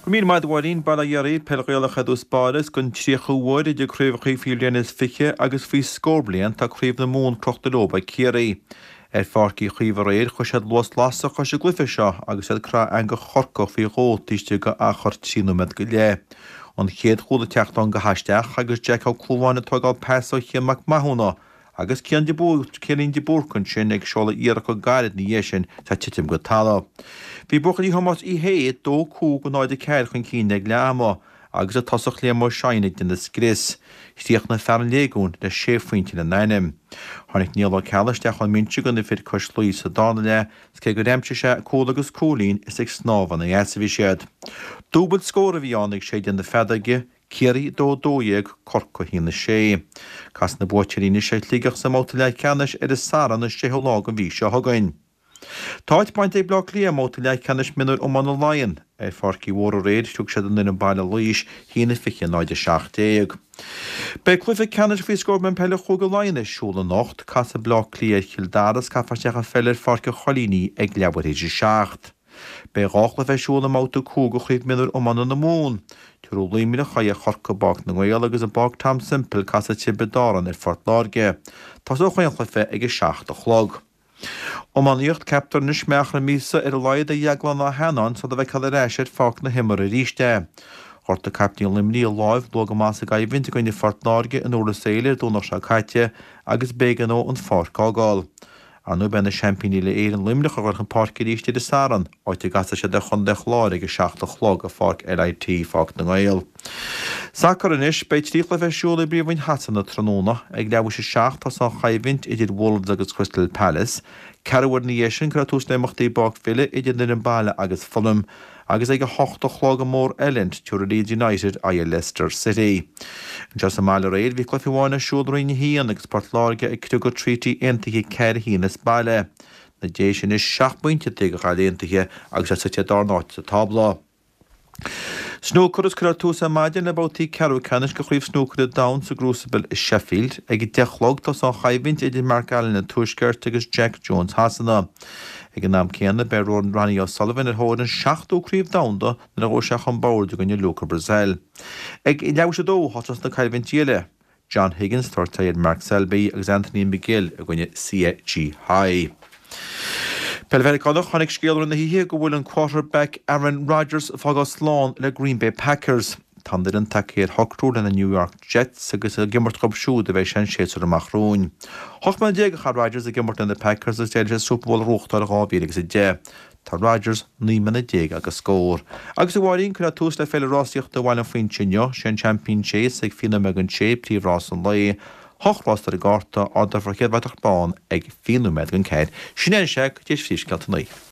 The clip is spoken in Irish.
Go raibh míle maith agat a Mháirín, Bail ó Dhia oraibh, Peil Ghaelach i dtús báire is don tríochú huair idir craobhacha faoi bhliain is 20 agus faoi scór bliain tá Craobh na Mumhan crochta leo ag Ciarraí. Ar Pháirc Uí Chaoimh aréir chuir siad luas lasrach leis an gcluiche seo agus iad ag crá eangach Chorcaí faoi dhó taobh istigh de achar 3 nóiméad go leith. An chéad chúl ag teacht ann go haisteach agus Jack Ó Clúmháin ag tógáil pas ó Chian Mac Mathúna agus Cian de Cianín de Búrca ansin ag seoladh iarracht go gairid ina dhiaidh sin is é ag titim go talamh. Bhí buachaillí Thomáis Uí Shé 2 5 0 4 chun cinn ag leath ama agus an tosach Liam Ó Seighin ag déanamh scrios. Chríochnaigh fear an Léigiúin le sé phointe lena ainm. Tháinig Niall Ó Ceallaigh isteach ón mbinse do na fir cois Laoi sa darna leath is cé gur aimsigh sé cúl agus cúilín is ag snámh ina eas a bhí siad. Dúbailt scór a bhí ann ag séideadh na feadóige, Ciarraí 2 12, Corcaigh 1 6. Casfaidh na buaiteoirí anois ar Shligeach sa mbabhta leathcheannais ar an Satharn an 6ú lá den mhí seo chugainn. Tá áit bainte ag Bleá Cliath i mbabhta leathcheannais mionúir iomána Laighean. Ar Pháirc Uí Mhórdha aréir, shlog siad an fhoireann baile Laois, 1-20 0-17. Beidh cluiche ceannais faoi scór bliain peile Chúige Laighean ar siúl anocht. Casfaidh Bleá Cliath ar Chill Dara is caithfear isteach an pheil ar Pháirc an Choilíní ag leathuair théis a 7. Beidh dhá chluiche ar siúl i mbabhta 5 de Chraobh Mionúir Iomána na Mumhan. Tabharfaidh Luimneach aghaidh ar Chorcaigh i bPáirc na nGael agus i bPáirc Tom Semple casfaidh Tiobraid Árann ar Phort Láirge. Tosóidh chaon chluiche ag 7 a chlog. Iománaíocht, Ceaptar anois go mbeidh achar míosa ar a laghad ag Dheaglán Ó hEanáin sula bhfeicfear ar ais ar pháirc na himeartha arís é. Ghortaigh caiptín Luimnigh a láimh luath go maith sa gcoimhlint i gcoinne Phort Láirge in Iorras Éile ar an Domhnach seo caite agus b'éigean dó an pháirc a fhágáil. Ar ndóigh beidh na seaimpíní uile-Éireann Luimneach ag dul chun páirce arís ar an Satharn, áit a gcasfaidh siad ar chontae an Chláir ag 7 a chlog i Pháirc LIT, Pháirc na nGael. Sacar anois, beidh 3 chluiche ar siúl i bPríomhroinn Shasana tráthnóna. Ag leathuair théis a 7 tosóidh an choimhlint idir Wolves agus Crystal Palace. Ceathrú uair ina dhiaidh sin cuirfear tús le imeachtaí i bPáirc Villa idir an fhoireann baile agus Fulham agus ag 8 a chlog i mór-eilint tabharfaidh Leeds United aghaidh ar Leicester City. Anseo sa mbaile aréir bhí cluiche amháin ar siúl i Roinn 1 agus Port Láirge ag criogadh Treaty Aontaithe 4 1 as baile. Na Déise anois 7 bpointe taobh de Ghaillimh Aontaithe agus iad suite ar darna háit sa tábla. Snúcar is cuirfear tús ar maidin le babhtaí ceathrú ceannais de Chraobh Snúcair an Domhain sa gCrucible i Sheffield. Ag 10 a chlog tosóidh an choimhlint idir Mark Allen an Tuaiscirt agus Jack Jones Shasana. Ag an am céanna beidh Ronnie O'Sullivan ar thóir an seachtú Craobh Domhanda nuair a ghabhfaidh sé chun boird i gcoinne Luca Brecel. Ag leathuair théis a dó thosós na coimhlintí eile. John Higgins ag tabhairt aghaidh ar Mark Selby agus Anthony McGill i gcoinne Hsieh Ji-Hao. Peil Mheiriceánach, Tháinig scéala i rith na hoíche go bhfuil an quarterback Aaron Rodgers ag fágáil slán le Green Bay Packers. Tá an fhoireann tagtha ar shocrú lena New York Jets agus ag imirt dhóibh siúd a bheidh sé an séasúr amach romhainn. 18 mbliana a chaith Rodgers ag imirt le na Packers agus d'éirigh leo Super Bowl a ghnóthachtáil i 2010. Tá Rodgers 19 mbliana agus scór. Agus a Mháirín, cuirfear tús le Féile Rásaíochta Bhaile an Phuins inniu. Sé an Champion Chase ag 20 nóiméad don sé, príomhrás an lae. Hocht rás ar an gcárta, ardófar an chéad bhratach bán ag 20 nóiméad don ceathair. Sin é an sea, go dtí phríomhscéalta an lae.